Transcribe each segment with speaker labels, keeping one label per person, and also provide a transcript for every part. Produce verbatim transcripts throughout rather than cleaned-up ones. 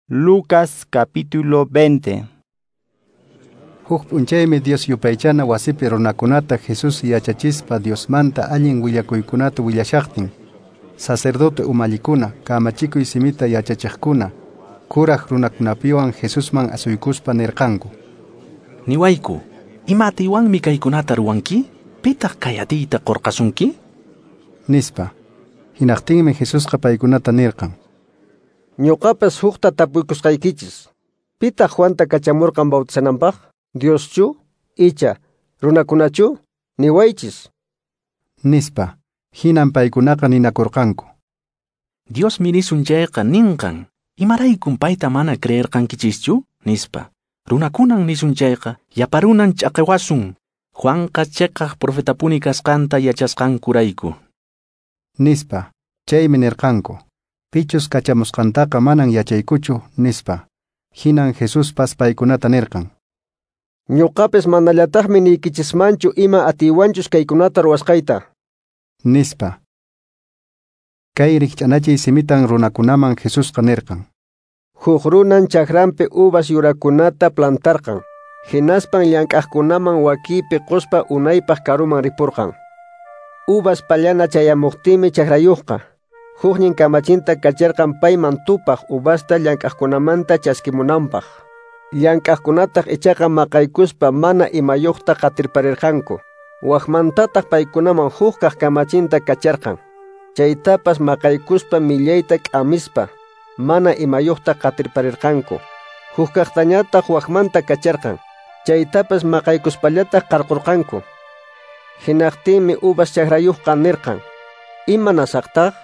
Speaker 1: Lucas capítulo veinte.
Speaker 2: Huk p'unchaymi Dios yupaychana wasipi runakunata Jesús yachachispa Diosmanta allin willakuykunata willashaqtin. Sacerdote umallikuna, kamachikuy simita yachachiqkuna, kuraq runakunapiwan Jesusman asuykuspa nirqanku:
Speaker 3: Niwayku, ima atiywanmi kaykunata ruwanki? Pitaq kay atiyta qurqasunki?
Speaker 2: Nispa. Hinaqtinmi Jesusqa paykunata nirqan:
Speaker 4: Ñuqapas hukta tapuykusqaykichis. Pitaq Juanta kachamurqan bautizananpaq? Dioschu? Icha, runakunachu? Niwaychis.
Speaker 2: Nispa. Hinan paykunaqa ninakurqanku:
Speaker 3: Diosmi nisun chayqa ninqan, imaraykun payta mana creerqankichischu? Nispa. Runakunan nisun chayqa, yaparunan ch'aqiwasun. Juanqa cheqaq profetapuni kasqanta yachasqankurayku.
Speaker 2: Nispa. Chaymi nirqanku: Pichus kachamusqantaqa manan yachaykuchu, nispa. Hinan Jesuspas paykunata nirqan:
Speaker 4: Ñuqapis manallataqmi niykichismanchu ima atiywanchus kaykunata ruwasqayta.
Speaker 2: Nispa. Kay rikch'anachiy simitan runakunaman Jesusqa nirqan:
Speaker 4: Huk runan chakranpi uvas yurakunata plantarqan. Hinaspan llank'aqkunaman wakipi quspa unaypaq karuman ripurqan. Uvas pallana chayamuqtinmi chakrayuqqa huknin kamachinta kacharqan payman tupaq uvasta llank'aqkunamanta chaskimunanpaq. Llank'aqkunataq ichaqa maqaykuspa mana imayuqta qatirparirqanku. Waqmantataq paykunaman hukkaq kamachinta kacharqan. Chaytapas maqaykuspa millayta k'amispa mana imayuqta qatirparirqanku. Hukkaqtañataq waqmanta kacharqan. Chaytapas maqaykuspallataq qarqurqanku. Hinaqtinmi uvas chakrayuqqa nirqan: Imanasaqtaq?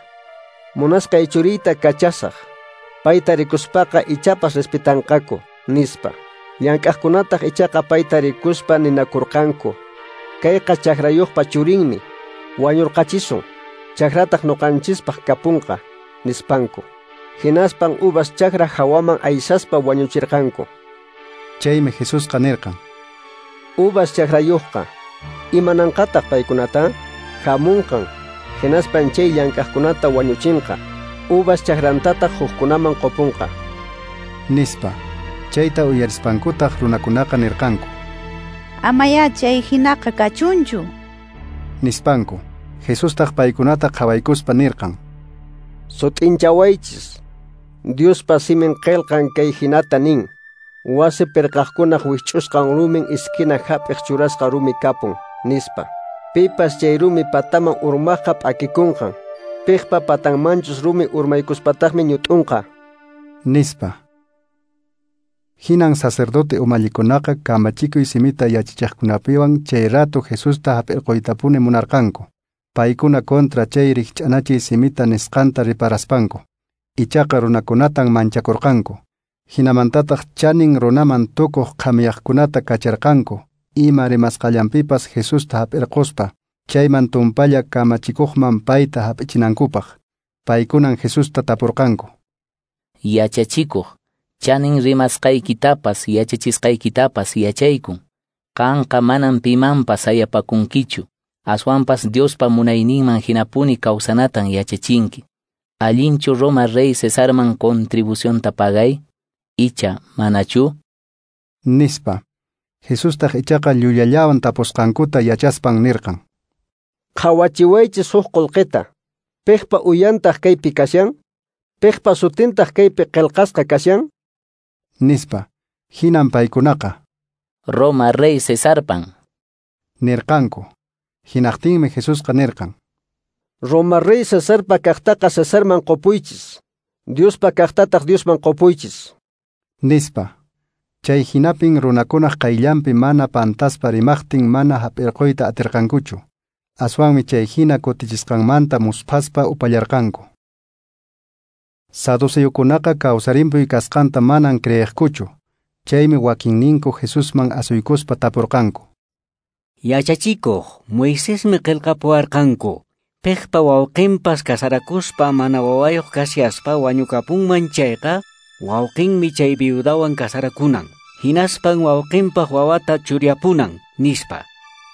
Speaker 4: Munasqay churiyta kachasaq. Payta rikuspaqa ichapas respetanqaku, nispa. Llank'aqkunataq ichaqa payta rikuspa ninakurqanku: Kayqa chakrayuqpa churinmi, wañurqachisun, chakrataq ñuqanchispaq kapunqa, nispanku. Hinaspan uvas chakra hawaman aysaspa wañuchirqanku.
Speaker 2: Chaymi Jesusqa nirqan:
Speaker 4: Uvas chakrayuqqa, imananqataq paykunata? Hamunqan, hinaspan chay llank'aqkunata wañuchinqa, uvas chakrantataq hukkunaman qupunqa.
Speaker 2: Nispa. Chayta uyarispankutaq runakunaqa nirqanku:
Speaker 5: Amaya chay hinaqa kachunchu.
Speaker 2: Nispanku. Jesustaq paykunata qhawaykuspa nirqan:
Speaker 4: Sut'inchawaychis. Diospa simin qillqan kay hinata nin: Wasi pirqaqkunaq wich'usqan rumin iskina hap'iq churasqa rumi kapun, nispa. Pipas chay rumi pataman urmaqqa p'akikunqan. Piqpa patanmanchus rumi urmaykuspataqmi ñut'unqa.
Speaker 2: Nispa. Hinan sacerdote umallikunaqa kamachikuy simita yachachiqkunapiwan chay rato Jesusta hap'irquytapuni munarqanku. Paykuna contra chay rikch'anachiy simita nisqanta riparaspanku. Ichaqa runakunatan manchakurqanku. Hinamantataq chanin runaman tukuq qhamiyaqkunata kacharqanku. Ima rimasqallanpipas Jesusta hap'irquspa chayman tumpalla kamachikuqman payta hap'ichinankupaq. Paykunan Jesusta tapurqanku:
Speaker 6: Yachachikuq, chanin rimasqaykitapas yachachisqaykitapas yachaykun. Qanqa manan pimanpas sayapakunkichu, aswanpas Diospa munayninman hinapuni kawsanatan yachachinki. Allinchu Roma rey Cesarman contribucionta pagay? Icha, manachu?
Speaker 2: Nispa. Jesustaq ichaqa llullallawan tapusqankuta yachaspan nirqan:
Speaker 4: Qhawachiwaychis huk qullqita. Piqpa uyantaq kaypi kashan? Piqpa sutintaq kaypi qillqasqa kashan?
Speaker 2: Nispa. Hinan paykunaqa:
Speaker 6: Roma rey Cesarpan,
Speaker 2: nirqanku. Hinaqtinmi Jesusqa nirqan:
Speaker 4: Roma rey Cesarpa kaqtaqa Cesarman qupuychis, Diospa kaqtataq Diosman qupuychis.
Speaker 2: Nispa. Chay hinapin runakunaq qayllanpi mana pantaspa rimaqtin mana hap'irquyta atirqankuchu. Aswanmi chay hina kutichisqanmanta musphaspa upallarqanku. Saduceokunaqa kawsarimpuy kasqanta manan creeqkuchu. Chaymi wakinninku Jesusman asuykuspa tapurqanku:
Speaker 7: Yachachikuq, Moisesmi qillqapuwarqanku. Piqpa wawqinpas kasarakuspa mana wawayuq kashaspa wañukapunman chayqa, wawqinmi chay viudawan kasarakunan. Hinaspan wawqinpaq wawata churyapunan, nispa.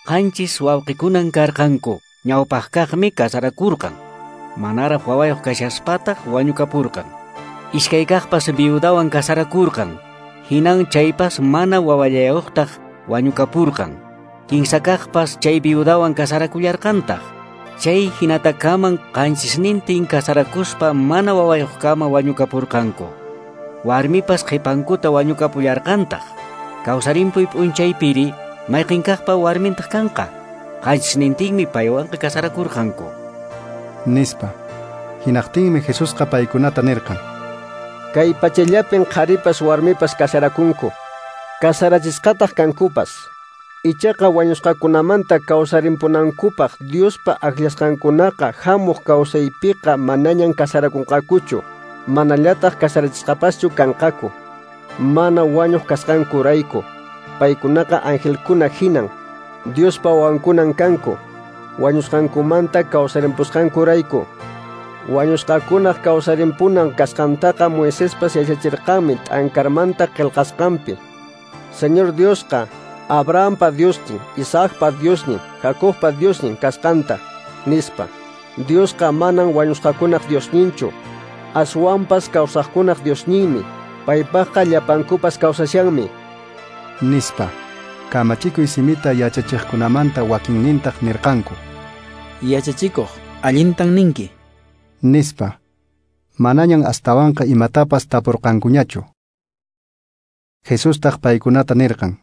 Speaker 7: Qanchis wawqikunan karqanku, ñawpaqkaqmi kasarakurqan. Manaraq wawayuq kashaspataq wañukapurqan. Iskay kaqpas viudawan kasarakurqan. Hinan chaypas mana wawallayuqtaq wañukapurqan. Kinsa kaqpas chay viudawan kasarakullarqantaq. Chay hinatakaman qanchisnintin kasarakuspa mana wawayuqkama wañukapurqanku. Warmipas qhipankuta wañukapullarqantaq. Kawsarimpuy p'unchaypiri mayqinkaqpa warmintaq kanqa. Qanchisnintinmi paywanqa kasarakurqanku.
Speaker 2: Nispa. Hinaqtinmi Jesusqa paykunata nirqan:
Speaker 4: Kay pachallapin qharipas warmipas kasarakunku. Kasarachisqataq kankupas. Ichaqa wañusqakunamanta kawsarimpunankupaq Diospa akllasqankunaqa hamuq kawsaypiqa manañan kasarakunqakuchu, manallataq kasarachisqapaschu kanqaku. Mana wañuq kasqankurayku. Paykunaqa angelkuna hinan, Diospa wawankunan kanku, wañusqankumanta kawsarimpusqankurayku. Wañusqakunaq kawsarimpunan kasqantaqa Moisespas yachachirqanmi t'ankarmanta qillqasqanpi. Señor Diosqa Abrahampa Diosnin, Isaacpa Diosnin, Jacobpa Diosnin kasqanta, nispa. Diosqa manan wañusqakunaq Diosninchu, aswanpas kawsaqkunaq Diosninmi, paypaqqa llapankupas kawsashanmi.
Speaker 2: Nispa. Kamachikuy simita yachachiqkunamanta wakinnintaq nirqanku:
Speaker 8: Yachachikuq, allintan ninki.
Speaker 2: Nispa. Manañan astawanqa imatapas tapurqankuñachu. Jesustaq paykunata nirqan: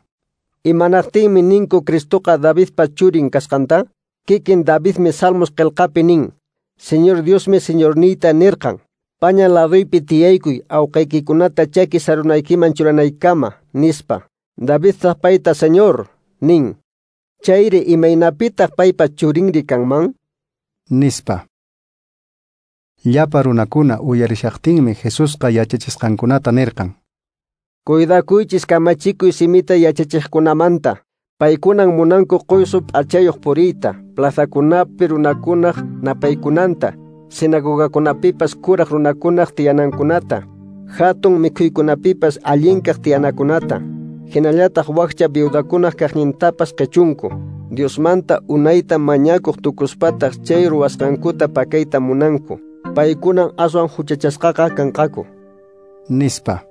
Speaker 4: Imanaqtinmi ninku Cristoqa Davidpa churin kasqanta? Kikin Davidmi Salmos qillqapi nin: Señor Diosmi Señorniyta nirqan: Paña laduypi tiyaykuy awqaykikunata chaki sarunaykiman churanaykama, nispa. Davidtaq payta Señor nin. Chayri imaynapitaq paypa churinri kanman?
Speaker 2: Nispa. Llapa runakuna uyarishaqtinmi Jesusqa yachachisqankunata nirqan:
Speaker 4: Cuidakuychis kamachikuy simita yachachiqkunamanta. Paykunan munanku quysu p'achayuq puriyta, plazakunapi runakunaq napaykunanta, sinagogakunapipas kuraq runakunaq tiyanankunata, hatun mikhuykunapipas allinkaq tiyanakunata, hinallataq wakcha viudakunaq kaqnintapas qichunku. Diosmanta unayta mañakuq tukuspataq chay ruwasqankuta pakayta munanku. Paykunan aswan huchachasqaqa kanqaku.
Speaker 2: Nispa.